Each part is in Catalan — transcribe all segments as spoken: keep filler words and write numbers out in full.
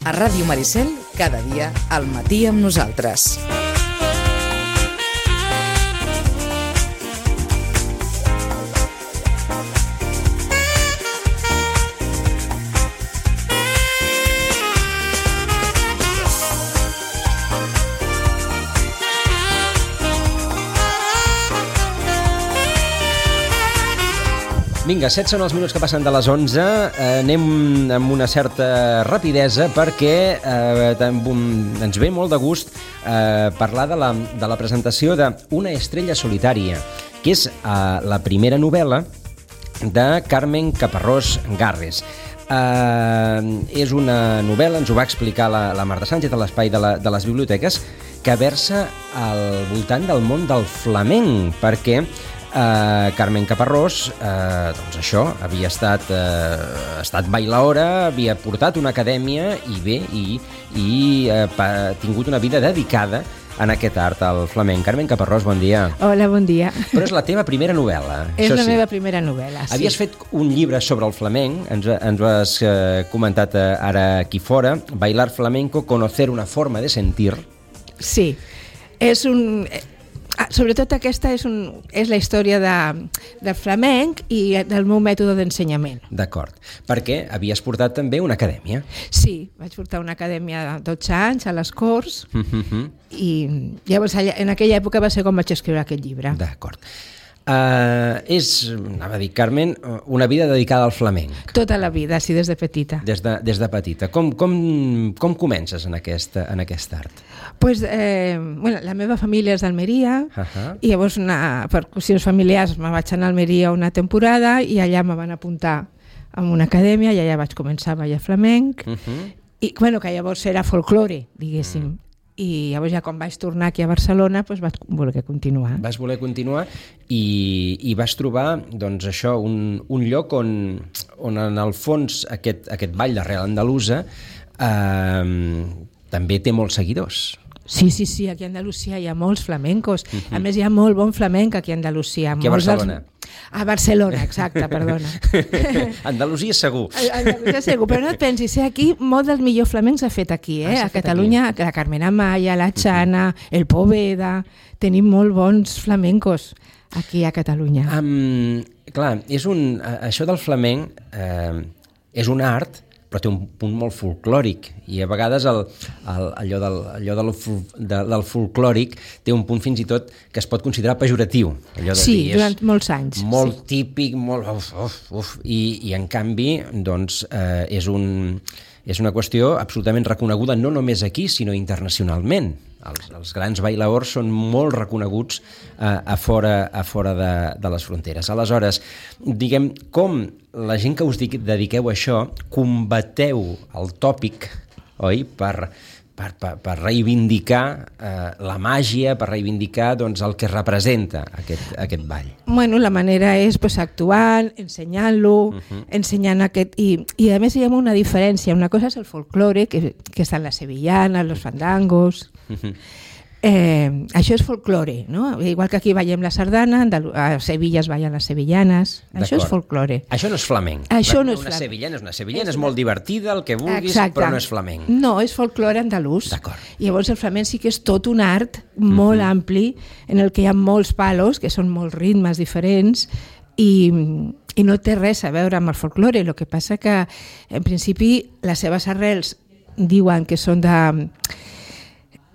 A Ràdio Maricel, cada dia al matí amb nosaltres. Vinga, set són els minuts que passen de les onze. Eh, anem amb una certa rapidesa perquè eh, ens ve molt de gust eh, parlar de la, de la presentació d'Una estrella solitària, que és eh, la primera novel·la de Carmen Caparrós Garres. Eh, és una novel·la, ens ho va explicar la, la Marta Sánchez a l'espai de, la, de les biblioteques, que versa al voltant del món del flamenc, perquè Uh, Carmen Caparrós, uh, doncs això, havia estat, uh, estat bailaora, havia portat una acadèmia i bé, i, i uh, ha tingut una vida dedicada en aquest art, al flamenc. Carmen Caparrós, bon dia. Hola, bon dia. Però és la teva primera novel·la. És la sí. meva primera novel·la, sí. Havies fet un llibre sobre el flamenc, ens, ens ho has uh, comentat uh, ara aquí fora, Bailar flamenco, conocer una forma de sentir. Sí, és un... Sobretot aquesta és, un, és la història de, del flamenc i del meu mètode d'ensenyament. D'acord, perquè havies portat també una acadèmia. Sí, vaig portar una acadèmia de dotze anys a les Corts mm-hmm. i llavors en aquella època va ser com vaig escriure aquest llibre. D'acord. Uh, és, anava a dir, Carmen, una vida dedicada al flamenc. Tota la vida, sí, des de petita. Des de, des de petita. Com, com, com comences en aquest, en aquest art? Pues, eh, bueno, la meva família és d'Almeria uh-huh. i llavors una, per qüestions familiars me vaig anar a Almeria una temporada i allà me van apuntar a una acadèmia i allà vaig començar a ballar flamenc uh-huh. i bueno, que llavors era folklore, diguéssim. Uh-huh. I llavors ja quan vaig tornar aquí a Barcelona doncs vaig voler continuar. Vas voler continuar i, i vas trobar doncs això, un, un lloc on, on en el fons aquest, aquest ball d'arrel andalusa eh, també té molts seguidors. Sí, sí, sí, aquí a Andalusia hi ha molts flamencos. Uh-huh. A més, hi ha molt bon flamenc aquí a Andalusia. Aquí a Barcelona. Dels... A Barcelona, exacte, perdona. Andalusia segur. Andalusia segur, però no et pensis, eh? Aquí molt del millor flamenc s'ha fet aquí, eh? Ah, a Catalunya, aquí. La Carmen Amaya, la Chana, uh-huh. el Poveda, tenim molt bons flamencos aquí a Catalunya. Um, clar, és un, això del flamenc eh, és un art, però té un punt molt folclòric i a vegades el, el, allò, del, allò del, de, del folclòric té un punt fins i tot que es pot considerar pejoratiu. Allò de sí, dir, durant molts anys. Molt sí. típic, molt... Uf, uf, uf, i, i en canvi doncs, eh, és, un, és una qüestió absolutament reconeguda no només aquí, sinó internacionalment. Els, els grans bailaors són molt reconeguts eh, a fora, a fora de, de les fronteres. Aleshores, diguem, com la gent que us dediqueu a això combateu el tòpic, oi?, per, per, per, per reivindicar eh, la màgia, per reivindicar doncs, el que representa aquest, aquest ball. Bueno, la manera és pues, actuant, ensenyant-lo, uh-huh. ensenyant aquest... I, I a més hi ha una diferència. Una cosa és el folklore, que, que estan les sevillanes, los fandangos... Uh-huh. Eh, això és folklore, no? Igual que aquí veiem la sardana, a Sevilla es ballen les sevillanes. Això és folklore. Això no és flamenc. Això no és una flamenc. sevillana és una sevillana, és, és molt divertida, el que vulguis, exacte. Però no és flamenc. No, és folklore andalús. D'acord. I llavors el flamenc sí que és tot un art molt uh-huh. ampli, en el que hi ha molts palos, que són molts ritmes diferents, i, i no té res a veure amb el folklore. El que passa que, en principi, les seves arrels diuen que són de...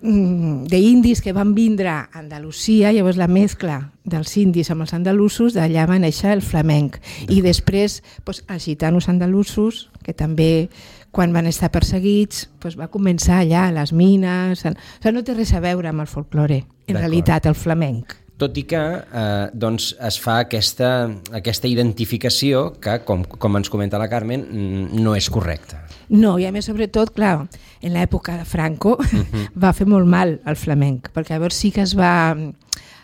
d'indis que van vindre a Andalusia, llavors la mescla dels indis amb els andalusos, d'allà va néixer el flamenc. I després doncs, els gitanos andalusos, que també quan van estar perseguits doncs, va començar allà a les mines, o sigui, no té res a veure amb el folklore, en realitat el flamenc. Tot i que eh, doncs es fa aquesta, aquesta identificació que, com, com ens comenta la Carmen, no és correcta. No, i a més, sobretot, clar, en l'època de Franco uh-huh. va fer molt mal al flamenc, perquè llavors sí que es va...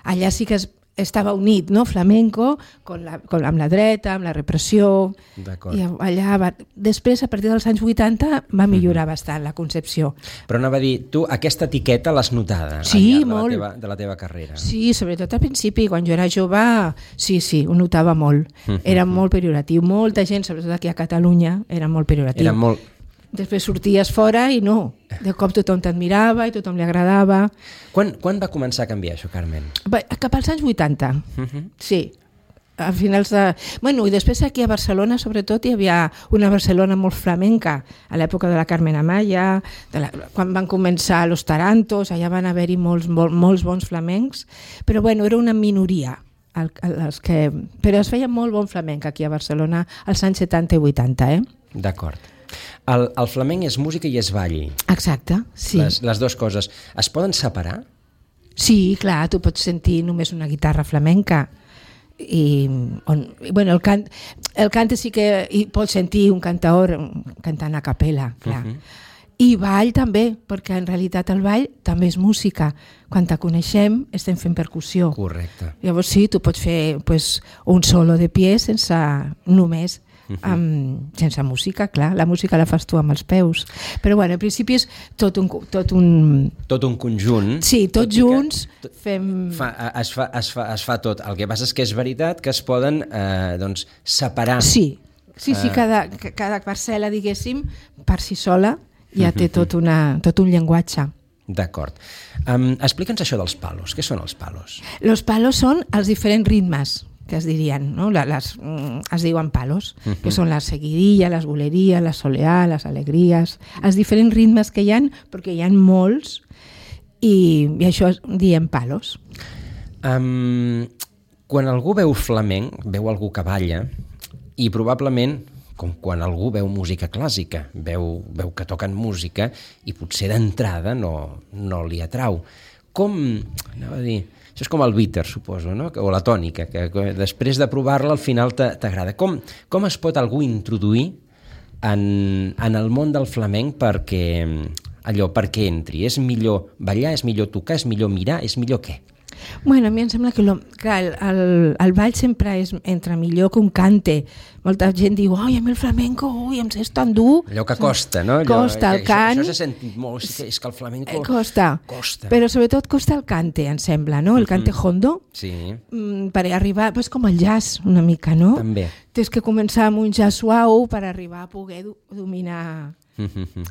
Allà sí que es, estava unit, no?, flamenco, con la, con, amb la dreta, amb la repressió... D'acord. I allà va... Després, a partir dels anys vuitanta, va millorar uh-huh. bastant la concepció. Però anava a dir, tu aquesta etiqueta l'has notada sí, al llarg molt. de, la teva, de la teva carrera. Sí, sobretot al principi, quan jo era jove, sí, sí, ho notava molt. Uh-huh. Era molt pejoratiu. Molta gent, sobretot aquí a Catalunya, era molt pejoratiu. Era molt... Després sorties fora i no, de cop tothom t'admirava i tothom li agradava. Quan, quan va començar a canviar això, Carmen? Va, cap als anys vuitanta, uh-huh. sí. A finals de... Bueno, i després aquí a Barcelona, sobretot, hi havia una Barcelona molt flamenca, a l'època de la Carmen Amaya, de la... quan van començar Los Tarantos, allà van haver-hi molts, molts, molts bons flamencs, però bueno, era una minoria. El, els que... Però es feia molt bon flamenc aquí a Barcelona als anys setanta i vuitanta, eh? D'acord. El, el flamenc és música i és ball. Exacte, sí. Les, les dues coses. Es poden separar? Sí, clar, tu pots sentir només una guitarra flamenca. I, on, bueno, el, cant, el cant sí que hi pots sentir un cantaor cantant a capella, clar. Uh-huh. I ball també, perquè en realitat el ball també és música. Quan te coneixem estem fent percussió. Correcte. Llavors sí, tu pots fer pues, un solo de pie sense només uh-huh. amb, sense música, clar, la música la fas tu amb els peus. Però bueno, en principi és tot un... Tot un, tot un conjunt. Sí, tots tot junts que, fem... Fa, es, fa, es, fa, es fa tot. El que passa és que és veritat que es poden eh, doncs, separar. Sí, sí, sí, cada, cada parcel·la, diguéssim, per si sola ja té tot, una, tot un llenguatge. D'acord. Um, Explica'ns això dels palos. Què són els palos? Los palos són els diferents ritmes que es dirien, no? Les, les, es diuen palos, uh-huh. que són la seguidilla, les boleries, la soleá, les alegries, els diferents ritmes que hi ha, perquè hi ha molts, i, i això diem palos. Um, quan algú veu flamenc, veu algú que balla, i probablement, com quan algú veu música clàssica, veu, veu que toquen música i potser d'entrada no, no li atrau. Com, anava a dir, això és com el bitter, suposo, no? O la tònica, que, que després de provar-la al final t'agrada. Com, com es pot algú introduir en, en el món del flamenc perquè, allò, perquè entri? És millor ballar, és millor tocar, és millor mirar, és millor què? Bueno, a mi em sembla que, lo, que el, el, el ball sempre és, entra millor que un cante. Molta gent diu, oi, a mi el flamenco, ui, em és tan dur. Allò que costa, no? Allò, costa, el cant... Això, això s'ha sentit molt, és que el flamenco... Costa, costa. Però sobretot costa el cante, em sembla, no? El cante mm-hmm. hondo. Sí. Mm, per arribar, pues com el jazz, una mica, no? També. Tens que començar amb un jazz suau per arribar a poder do, dominar...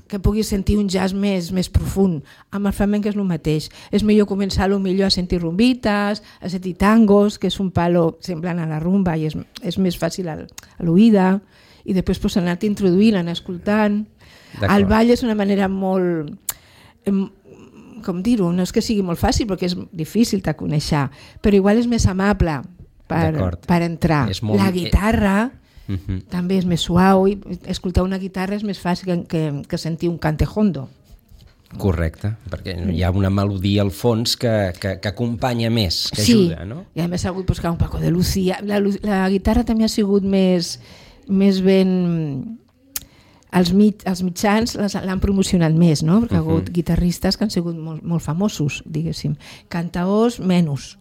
que puguis sentir un jazz més, més profund. Amb el flamenc és el mateix. És millor començar a lo millor a sentir rumbites, a sentir tangos, que és un palo semblant a la rumba i és, és més fàcil a l'oïda, i després pues, anar-te introduint, anar escoltant. El ball és una manera molt... com dir-ho, no és que sigui molt fàcil perquè és difícil de conèixer, però igual és més amable per, per entrar. Molt... La guitarra... Uh-huh. també és més suau i escoltar una guitarra és més fàcil que, que, que sentir un cante hondo. Correcte, perquè hi ha una melodia al fons que, que, que acompanya més, que sí, ajuda, no? I a més ha hagut buscar un Paco de Lucía. La, la guitarra també ha sigut més, més ben... Els, mit, els mitjans l'han promocionat més, no? Perquè uh-huh. ha hagut guitarristes que han sigut molt, molt famosos, diguéssim. Cantaors, menys.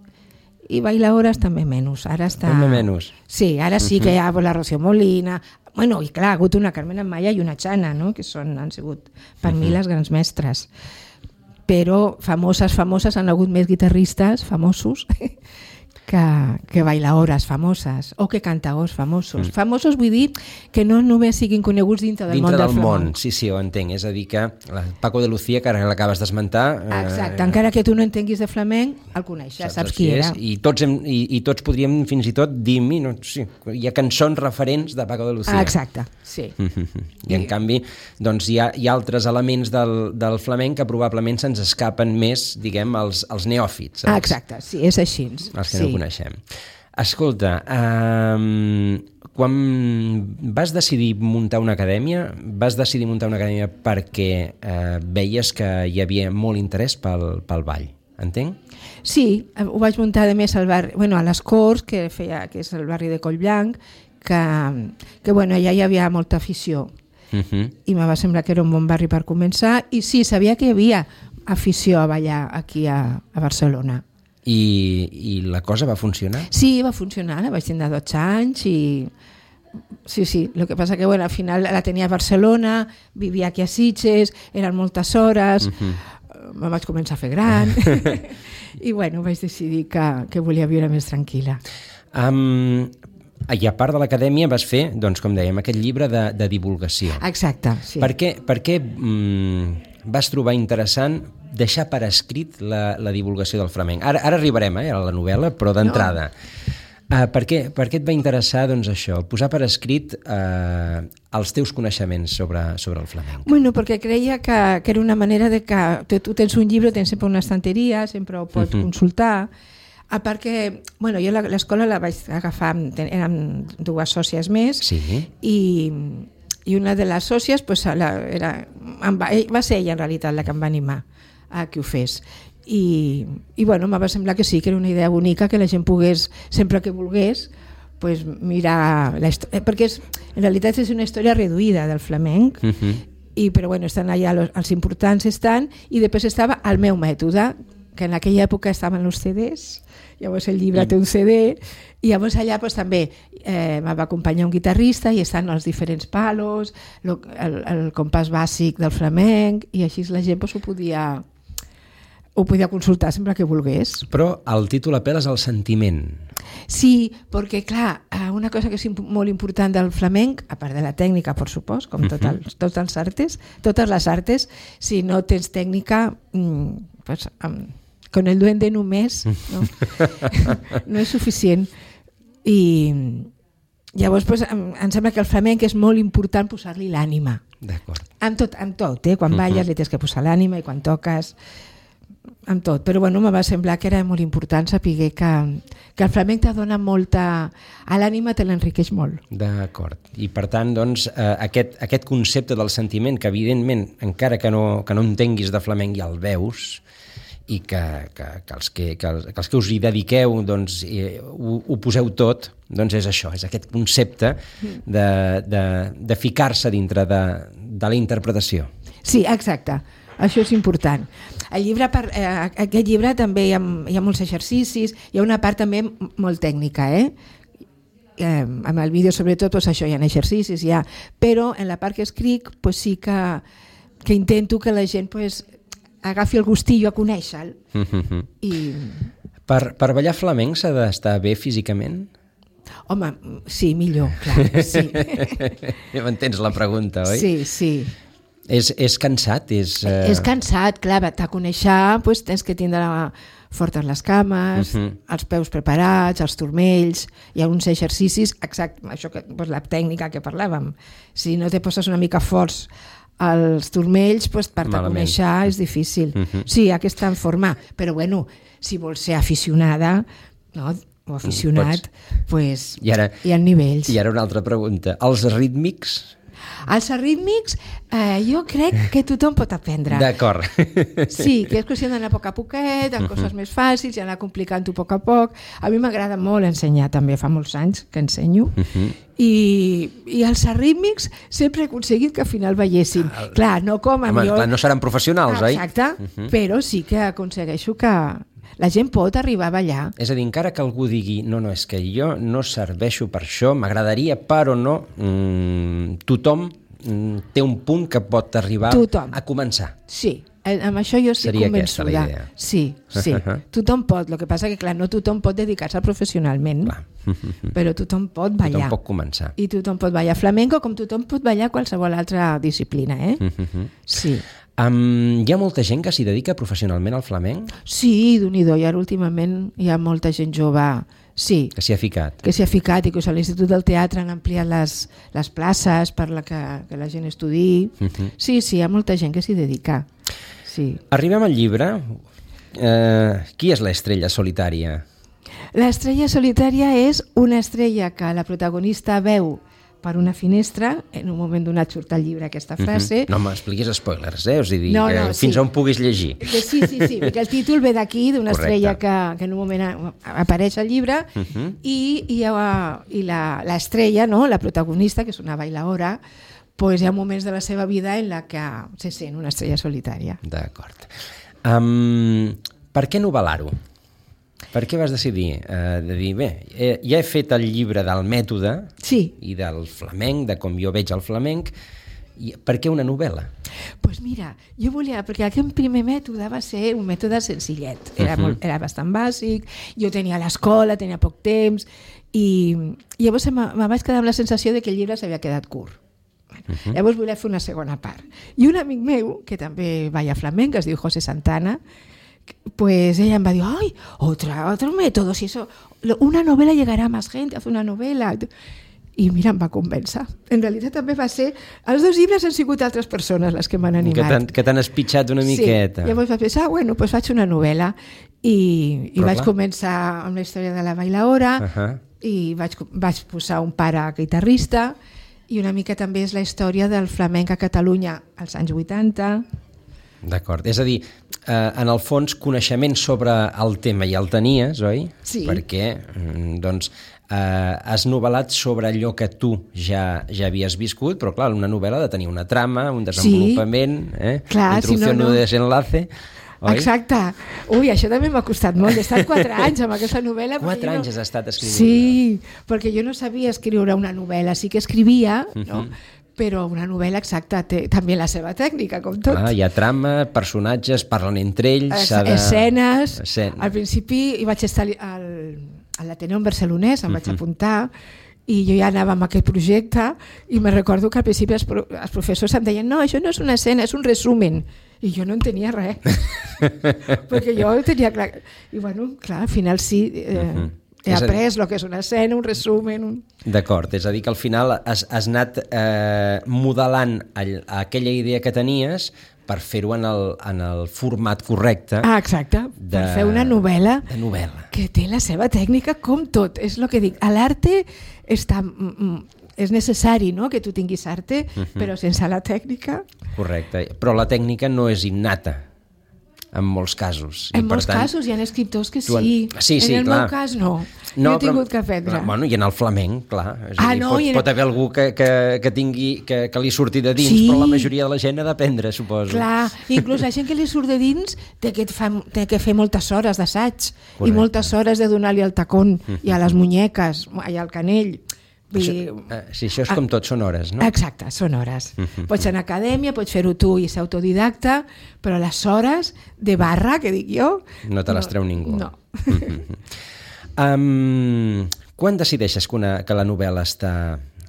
I bailaores també menys. Ara està... També menys. Sí, ara sí que hi ha la Rocío Molina. Bueno, i clar, ha hagut una Carmen Amaya i una Chana, no? Que són, han sigut per mi les grans mestres. Però famoses, famoses, han hagut més guitarristes famosos que, que bailaores famoses o que cantaors famosos. Mm. Famosos vull dir que no només siguin coneguts dintre del dintre món del, del flamenc. Món, sí, sí, ho entenc. És a dir que el Paco de Lucía, que ara l'acabes d'esmentar... Exacte, eh, encara que tu no entenguis de flamenc, el coneixes, saps, saps qui era. I tots, hem, i, i tots podríem fins i tot dir, no, sí, hi ha cançons referents de Paco de Lucía. Ah, exacte, sí. I en I... canvi doncs, hi, ha, hi ha altres elements del, del flamenc que probablement se'ns escapen més, diguem, als, als neòfits. Ah, exacte, sí, és així. Els que sí. no coneixem. Escolta, um, quan vas decidir muntar una acadèmia, vas decidir muntar una acadèmia perquè uh, veies que hi havia molt interès pel, pel ball, entenc? Sí, ho vaig muntar de més al barri, bueno, a les Corts, que, feia, que és el barri de Collblanc, que, que bueno, allà hi havia molta afició. Uh-huh. I me va semblar que era un bon barri per començar, i sí, sabia que hi havia afició a ballar aquí a, a Barcelona. I, I la cosa va funcionar? Sí, va funcionar, la vaig tenir dotze anys i... Sí, sí, el que passa que bueno, al final la tenia a Barcelona, vivia aquí a Sitges, eren moltes hores, uh-huh. me vaig començar a fer gran i bueno, vaig decidir que, que volia viure més tranquil·la. Um, I a part de l'acadèmia vas fer, doncs, com dèiem, aquest llibre de, de divulgació. Exacte, sí. Per què, per què mm, vas trobar interessant deixar per escrit la, la divulgació del flamenc? Ara, ara arribarem eh, a la novel·la, però d'entrada. No. Uh, per, què, per què et va interessar doncs, això, posar per escrit uh, els teus coneixements sobre, sobre el flamenc? Bueno, perquè creia que, que era una manera de que tu, tu tens un llibre, tens sempre una estanteria, sempre ho pots uh-huh. consultar, a part que, bueno, jo l'escola la vaig agafar, eren dues sòcies més, sí. i, i una de les sòcies pues, la, era, va, va ser ella en realitat la que em va animar a que ho fes. I, i bueno, em va semblar que sí, que era una idea bonica, que la gent pogués, sempre que volgués, pues, mirar la història, perquè és, en realitat és una història reduïda del flamenc, uh-huh. i, però bueno, estan allà los, els importants estan, i després estava el meu mètode, que en aquella època estaven els C Ds, llavors el llibre té un C D, i llavors allà pues, també eh, me va acompanyar un guitarrista i estan els diferents palos, lo, el, el compàs bàsic del flamenc, i així la gent pues, ho podia... ho podia consultar sempre que volgués. Però el títol apel·la al sentiment. Sí, perquè clar, una cosa que és molt important del flamenc, a part de la tècnica, per supost, com tot els, tots els artes, totes les artes, si no tens tècnica, pues, con el duende només, no, no és suficient. I llavors pues, em sembla que el flamenc és molt important posar-li l'ànima. D'acord. En tot, en tot, eh? Quan balles li tens que posar l'ànima, i quan toques... amb tot, però bueno, me va semblar que era molt important saber que, que el flamenc te dona molta... a l'ànima te l'enriqueix molt. D'acord. I per tant, doncs, eh, aquest, aquest concepte del sentiment, que evidentment, encara que no, que no entenguis de flamenc, ja el veus, i que, que, que, els, que, que, els, que els que us hi dediqueu doncs, eh, ho, ho poseu tot, doncs és això, és aquest concepte de, de, de ficar-se dintre de, de la interpretació. Sí, exacte. Això és important. El llibre, per, eh, aquest llibre també hi ha, hi ha molts exercicis, hi ha una part també molt tècnica, eh? Eh, amb el vídeo sobretot pues, això hi ha exercicis, hi ha, però en la part que escric pues, sí que, que intento que la gent pues, agafi el gustillo a conèixer-lo. Mm-hmm. I... Per, per ballar flamenc s'ha d'estar bé físicament? Home, sí, millor, clar, sí. Ja m'entens la pregunta, oi? Sí, sí. És, és cansat? És, uh... és cansat, clar, t'ha conèixer, pues, tens que tindre fortes les cames, uh-huh. els peus preparats, els turmells, hi ha uns exercicis, exacte, això que, pues, la tècnica que parlàvem. Si no te poses una mica forts als turmells, pues, per te conèixer és difícil. Uh-huh. Sí, hi ha que estar en forma, però bueno, si vols ser aficionada, no, o aficionat, pues, I ara, hi ha nivells. I ara una altra pregunta. Els rítmics... Els rítmics eh, jo crec que tothom pot aprendre. D'acord. Sí, que és qüestió d'anar a poc a poquet, amb uh-huh. coses més fàcils i anar complicant-ho a poc a poc. A mi m'agrada molt ensenyar també, fa molts anys que ensenyo. Uh-huh. I, i els rítmics sempre he aconseguit que al final ballessin. Ah, clar, no com amb home, jo... Clar, no seran professionals, oi? Exacte, uh-huh. però sí que aconsegueixo que... la gent pot arribar a ballar. És a dir, encara que algú digui no, no, és que jo no serveixo per això, m'agradaria, però no, mmm, tothom mmm, té un punt que pot arribar tothom. A començar. Sí, amb això jo estic Seria convençuda. Seria aquesta la idea. Sí, sí, tothom pot, el que passa que clar, no tothom pot dedicar-se professionalment, clar. Però tothom pot ballar. Tothom pot començar. I tothom pot ballar flamenco com tothom pot ballar qualsevol altra disciplina, eh? Sí. Um, hi ha molta gent que s'hi dedica professionalment al flamenc? Sí, d'un-i-do, i ara últimament hi ha molta gent jove, sí. Que s'hi ha ficat. Que s'hi ha ficat i que a l'Institut del Teatre han ampliat les, les places per la que, que la gent estudiï. Uh-huh. Sí, sí, hi ha molta gent que s'hi dedica. Sí. Arribem al llibre. Uh, qui és l'estrella solitària? L'estrella solitària és una estrella que la protagonista veu per una finestra, en un moment donat surt al llibre aquesta frase. Uh-huh. No m'expliquis spoilers, eh? Us dir, no, no, que fins sí. on puguis llegir. Sí, sí, sí, perquè el títol ve d'aquí, d'una estrella que, que en un moment apareix al llibre, uh-huh. i, i, i l'estrella, no? La protagonista, que és una bailaora, pues hi ha moments de la seva vida en la que se sent una estrella solitària. D'acord. Um, per què novel·lar-ho? Per què vas decidir eh, de dir, bé, eh, ja he fet el llibre del mètode sí. i del flamenc, de com jo veig el flamenc, I per què una novel·la? Doncs pues mira, jo volia, perquè aquest primer mètode va ser un mètode senzillet, era, uh-huh. molt, era bastant bàsic, jo tenia l'escola, tenia poc temps, i, i llavors me, me vaig quedar amb la sensació de que el llibre s'havia quedat curt. Bueno, uh-huh. Llavors volia fer una segona part. I un amic meu, que també balla flamenc, que es diu José Santana, pues ella em va dir, ay, otra, otro método, si eso, una novela llegará a más gente, haz una novela. I mira, em va convèncer. En realitat també va ser... Els dos llibres han sigut altres persones les que m'han animat. Que t'han espitxat una miqueta. Sí, llavors vaig pensar, bueno, doncs faig una novel·la. I, i vaig començar amb la història de la bailaora, uh-huh. i vaig, vaig posar un pare guitarrista, i una mica també és la història del flamenc a Catalunya als anys vuitanta. D'acord, és a dir, eh, en el fons coneixement sobre el tema ja el tenies, oi? Sí. Perquè, doncs, eh, has novel·lat sobre allò que tu ja, ja havies viscut, però clar, una novel·la ha de tenir una trama, un desenvolupament, sí. eh? Clar, introducció, si no, no. desenlace... Oi? Exacte. Ui, això també m'ha costat molt. He estat quatre anys amb aquesta novel·la. Quatre anys no... has estat escrivint. Sí, perquè jo no sabia escriure una novel·la. Sí que escrivia, uh-huh. no? Però una novel·la exacta té també la seva tècnica, com tot. Clar, hi ha trama, personatges, parlen entre ells... Es, de... Escenes. Escena. Al principi hi vaig estar al, a l'Ateneu Barcelonès, em vaig uh-huh. apuntar, i jo ja anava amb aquest projecte, i me recordo que al principi els, pro, els professors em deien, no, això no és una escena, és un resumen. I jo no entenia res. Perquè jo tenia clar... I bueno, clar, al final sí... Eh, uh-huh. He après el que és una escena, un resumen... Un... D'acord, és a dir que al final has, has anat eh, modelant all, aquella idea que tenies per fer-ho en, el, en el format correcte. Ah, exacte, de, per fer una novel·la, de novel·la que té la seva tècnica com tot. És el que dic, a l'arte està... és necessari, no?, que tu tinguis arte, uh-huh. però sense la tècnica... Correcte, però la tècnica no és innata, en molts casos. En I molts tant, casos hi ha escriptors que sí. En... Sí, sí, en el clar. meu cas no. No, jo he tingut però... que aprendre. Bueno, i en el flamenc, clar. És ah, dir, no, pot, en... pot haver algú que, que, que, tingui, que, que li surti de dins, sí. però la majoria de la gent ha d'aprendre, suposo. Clar, inclús la gent que li surt de dins té que, fa, té que fer moltes hores d'assaig i moltes hores de donar-li el tacón uh-huh. i a les munyeques, i al canell. Això, eh, sí, això és com tot, són hores, no? Exacte, són hores. Uh-huh. Pots anar a acadèmia, pots fer-ho tu i ser autodidacta, però les hores de barra, que dic jo... No te les treu no, ningú. No. Uh-huh. um, quan decideixes que, una, que la novel·la està,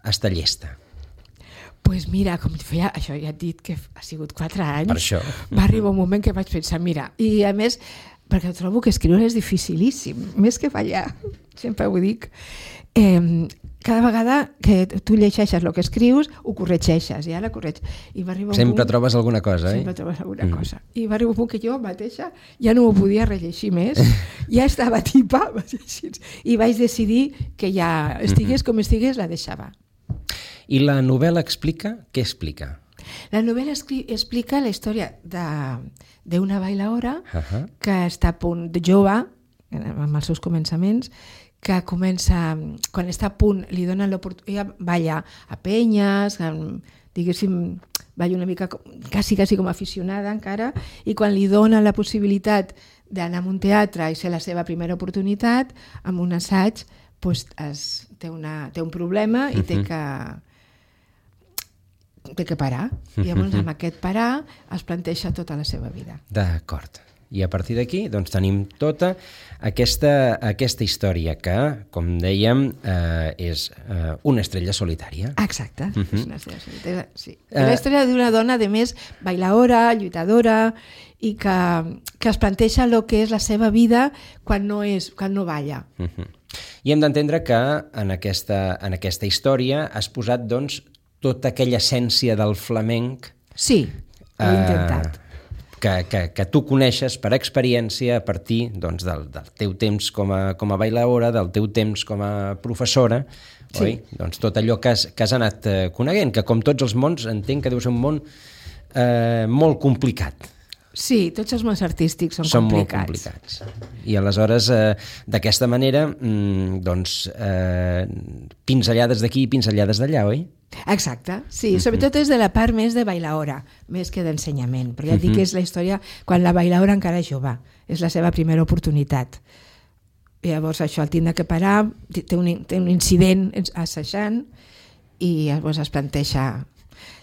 està llesta? Doncs pues mira, com feia, això ja et dit que ha sigut quatre anys, per això. Va arribar un moment que vaig pensar, mira, i a més, perquè trobo que escriure és dificilíssim, més que fallar, sempre ho dic, eh, cada vegada que tu llegeixes el que escrius, ho corregeixes, i ara corregeixes. I va arribar un sempre punt... trobes alguna cosa, eh? Sempre trobes alguna mm. cosa. I va arribar un punt que jo mateixa ja no ho podia rellegir més, ja estava tipa, i vaig decidir que ja estigués com estigués, la deixava. I la novel·la explica? Què explica? La novel·la explica la història d'una bailaora uh-huh. que està a punt de jove, amb els seus començaments, que comença, quan està a punt, li donen l'oportunitat, ella balla a penyes, diguéssim, balla una mica, quasi, quasi com aficionada encara, i quan li donen la possibilitat d'anar a un teatre i ser la seva primera oportunitat, amb un assaig, doncs es, té, una, té un problema i té que, té que parar. I llavors amb aquest parar es planteja tota la seva vida. D'acord. I a partir d'aquí doncs, tenim tota aquesta, aquesta història que, com dèiem, eh, és eh, una estrella solitària. Exacte, uh-huh. és una estrella solitària, sí. És la història d'una dona, de més, bailaora, lluitadora, i que, que es planteja el que és la seva vida quan no, és, quan no balla. Uh-huh. I hem d'entendre que en aquesta, en aquesta història has posat doncs, tota aquella essència del flamenc. Sí, ho he intentat. Eh, Que, que, que tu coneixes per experiència a partir doncs, del, del teu temps com a, com a bailaora, del teu temps com a professora, sí. oi? Doncs tot allò que has, que has anat eh, coneguent, que com tots els mons entenc que deu ser un món eh, molt complicat. Sí, tots els mons artístics són, són complicats. Són molt complicats. I aleshores, eh, d'aquesta manera, mm, doncs, eh, pinzellades d'aquí i pinzellades d'allà, oi? Exacte, sí, sobretot és de la part més de bailaora, més que d'ensenyament, perquè ja et dic que és la història quan la bailaora encara és jove, és la seva primera oportunitat. I llavors això el tindrà que parar, té un, té un incident assajant i llavors es planteja...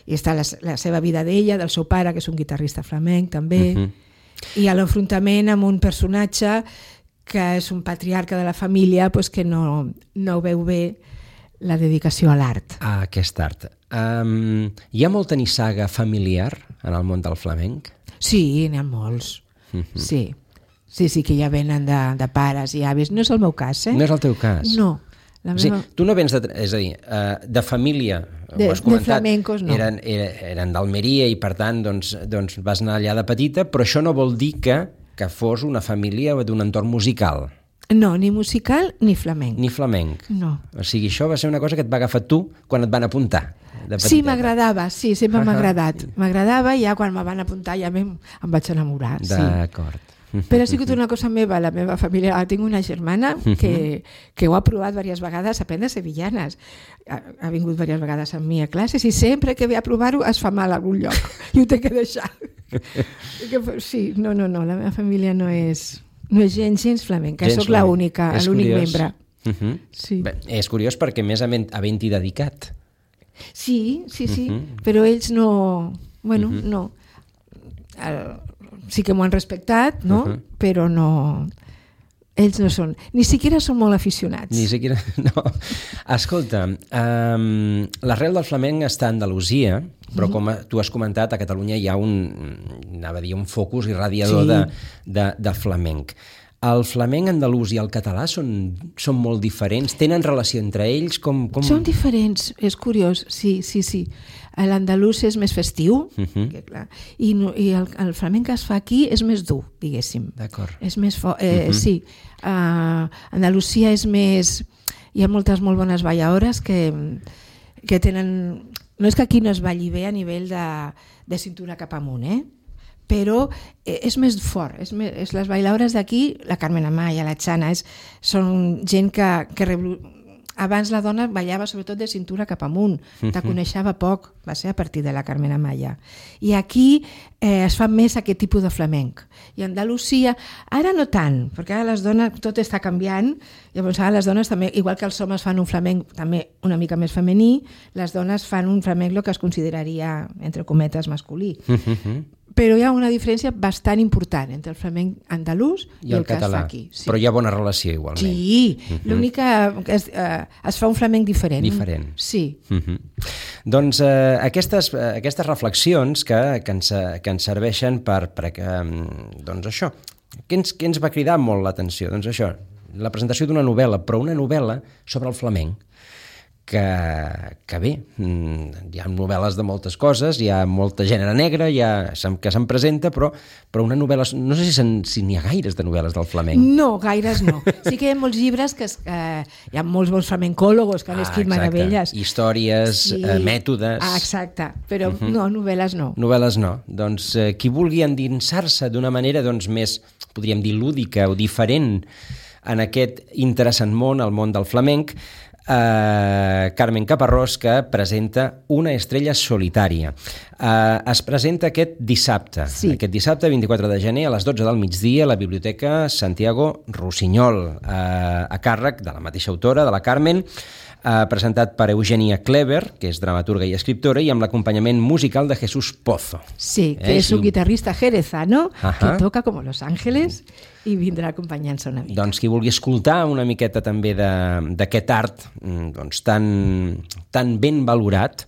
I està la, la seva vida d'ella, del seu pare, que és un guitarrista flamenc també, uh-huh. i a l'enfrontament amb un personatge que és un patriarca de la família, pues, que no, no veu bé la dedicació a l'art. A aquest art. Um, hi ha molta nissaga familiar en el món del flamenc? Sí, n'hi ha molts. Uh-huh. Sí. sí, sí, que ja venen de, de pares i avis. No és el meu cas, eh? No és el teu cas? No. La meva... Sí, tu no vens de... És a dir, uh, de família... De, de flamencos, no. Eren, eren d'Almeria i, per tant, doncs, doncs vas anar allà de petita, però això no vol dir que, que fos una família d'un entorn musical. No, ni musical ni flamenc. Ni flamenc. No. O sigui, això va ser una cosa que et va agafar tu quan et van apuntar. Sí, m'agradava, sí, sempre m'ha agradat. M'agradava i ja quan me van apuntar ja em, em vaig enamorar. D'acord. Sí. Però ha sigut una cosa meva, la meva família. Tinc una germana que, que ho ha provat diverses vegades a aprendre sevillanes. Ha, ha vingut diverses vegades amb mi a classes i sempre que ve a provar-ho es fa mal a algun lloc i ho té que deixar. Sí, no, no, no, la meva família no és... No és gens, gens flamenca, sóc l'única, l'únic membre. Uh-huh. Sí. Bé, és curiós perquè més havent-hi dedicat. Sí, sí, sí, uh-huh. però ells no... Bueno, uh-huh. no. El, sí que m'ho han respectat, no? Uh-huh. Però no... Ells no són... Ni siquiera són molt aficionats. Ni siquiera... No. Escolta, um, l'arrel del flamenc està a Andalusia, però com tu has comentat, a Catalunya hi ha un, anava a dir, un focus irradiador sí. de, de, de flamenc. El flamenc andalús i el català són, són molt diferents? Tenen relació entre ells? Com, com... Són diferents, és curiós, sí, sí, sí. L'andalús és més festiu, uh-huh. que, clar, i, no, i el, el flamenc que es fa aquí és més dur, diguéssim. D'acord. És més fort, eh, uh-huh. sí. Uh, Andalusia és més... Hi ha moltes molt bones ballaores que, que tenen... No és que aquí no es balli bé a nivell de, de cintura cap amunt, eh? Però és més fort. És més, és les bailaores d'aquí, la Carmen Amaya, la Xana, és, són gent que... que revolu... Abans la dona ballava sobretot de cintura cap amunt, te coneixava poc, va ser a partir de la Carmen Amaya. I aquí eh, es fa més aquest tipus de flamenc. I a Andalusia, ara no tant, perquè ara les dones, tot està canviant, llavors ara les dones també, igual que els homes fan un flamenc també una mica més femení, les dones fan un flamenc el que es consideraria, entre cometes, masculí. Però hi ha una diferència bastant important entre el flamenc andalús i, i el, el que català. Es fa aquí. Sí. Però hi ha bona relació igualment. Sí, uh-huh. l'únic que es, eh, es fa un flamenc diferent. Diferent. Sí. Uh-huh. Doncs eh, aquestes, eh, aquestes reflexions que, que, ens, que ens serveixen per, per eh, doncs això, què ens, què ens va cridar molt l'atenció? Doncs això, la presentació d'una novel·la, però una novel·la sobre el flamenc. Que, que bé, hi ha novel·les de moltes coses, hi ha molta gènere negre, hi ha, que se'n presenta, però, però una novel·la... No sé si, si n'hi ha gaires de novel·les del flamenc. No, gaires no. Sí que hi ha molts llibres, que es, eh, hi ha molts bons flamencòlogos que han ah, escrit meravelles. Històries, sí. eh, mètodes... Ah, exacte, però uh-huh. no, novel·les no. Novel·les no. Doncs eh, qui vulgui endinsar-se d'una manera doncs, més, podríem dir, lúdica o diferent en aquest interessant món, el món del flamenc, Uh, Carmen Caparrós, que presenta Una estrella solitària. Uh, es presenta aquest dissabte, sí. aquest dissabte vint-i-quatre de gener a les dotze del migdia a la Biblioteca Santiago Rossinyol, uh, a càrrec de la mateixa autora, de la Carmen, uh, presentat per Eugenia Clever, que és dramaturga i escriptora, i amb l'acompanyament musical de Jesús Pozo. Sí, que eh, és un guitarrista jerezano, uh-huh. que toca com Los Ángeles i vindrà acompanyant-se una mica. Doncs qui vulgui escoltar una miqueta també d'aquest art doncs, tan, tan ben valorat,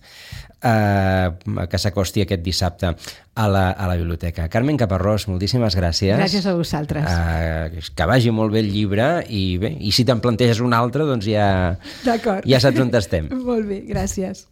eh, que s'acosti aquest dissabte a la, a la biblioteca. Carmen Caparrós, moltíssimes gràcies. Gràcies a vosaltres. Eh, que vagi molt bé el llibre i bé, i si te'n planteges un altre, doncs ja, ja saps on estem. Molt bé, gràcies.